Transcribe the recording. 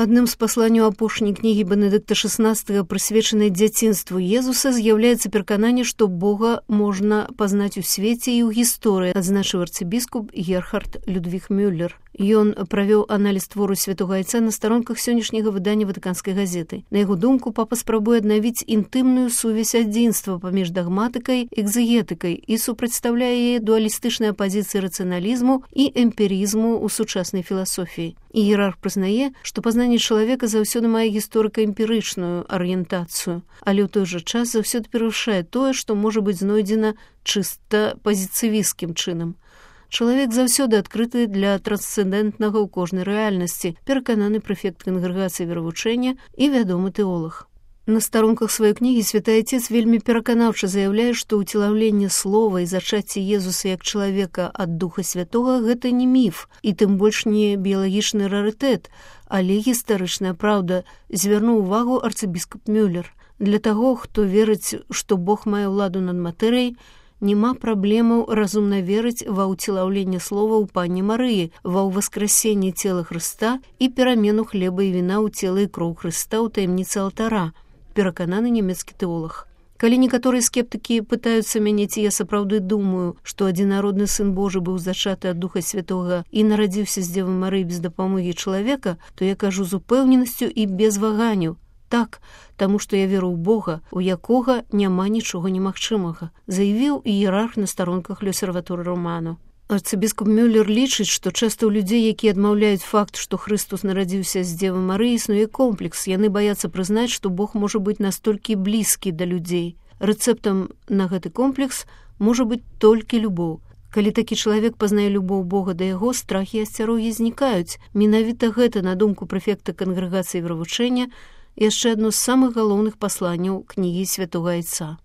Адным з пасланняў апошняй кнігі Бенедыкта XVI, прысвечанай дзяцінству Езуса, з'яўляецца перакананне, што Бога можна пазнаць у свеце і ў гісторыі, адзначыў арцыбіскуп Герхард Людвіг Мюллер. Ён правёў аналіз твору святога Айца на старонках сённяшняга выдання Ватыканскай газеты. На яго думку, папа спрабуе аднавіць інтымную сувязь адзінства паміж дагматыкай і экзегетыкай і супрацьстаўляе яе дуалістычнай апазіцыі рацыяналізму і эмпірызму ў сучаснай філасофіі. Іерарх прызнае, што пазнанне чалавека заўсёды мае гісторыка-эмпірычную арыентацыю, але ў той жа час заўсёды перавышае тое, што можа быць знойдзена чыста пазіцывісцкім чынам. Чалавек заўсёды адкрыты для трансцэндэнтнага ў кожнай рэальнасці, перакананы прэфект кангрэгацыі веравучэння і вядомы тэолаг. На старонках сваёй кнігі святы Айцец вельмі пераканаўча заяўляе, што ўцелаўленне слова і зачацце Езуса як чалавека ад Духа Святога – гэта не міф, і тым больш не біялагічны рарытэт, але гістарычная праўда, звярнуў увагу арцыбіскуп Мюллер. Для таго, хто верыць, што Бог мае ўладу над матэрыяй, няма праблемаў разумна верыць ва ўцелаўленне слова ў Панне Марыі, ва ўваскрасенне цела Хрыста і перамену хлеба і віна ў цела і кроў Хрыста ў таямніцы алтара, перакананы нямецкі тэолаг. Калі некаторыя скептыкі пытаюцца мяне, ці я сапраўды думаю, што адзінародны сын Божы быў зачаты ад Духа Святога і нарадзіўся з Дзевы Марыі без дапамогі чалавека, то я кажу з упэўненасцю і без ваганняў. Так, таму што я веру ў Бога, у якога няма нічога немагчымага, заявіў іерарх на старонках L'Osservatore Romano. Арцыбіскуп Мюллер лічыць, што часта ў людзей, якія адмаўляюць факт, што Хрыстус нарадзіўся з Дзевы Марыі, існуе комплекс. Яны баяцца прызнаць, што Бог можа быць настолькі блізкі да людзей. Рэцэптам на гэты комплекс можа быць толькі любоў. Калі такі чалавек пазнае любоў Бога да яго, страхі і асцярогі знікаюць. Менавіта гэта, на думку прэфекта кангрэгацыі веравучэння, яшчэ адно з самых галоўных пасланняў кнігі святога Айца.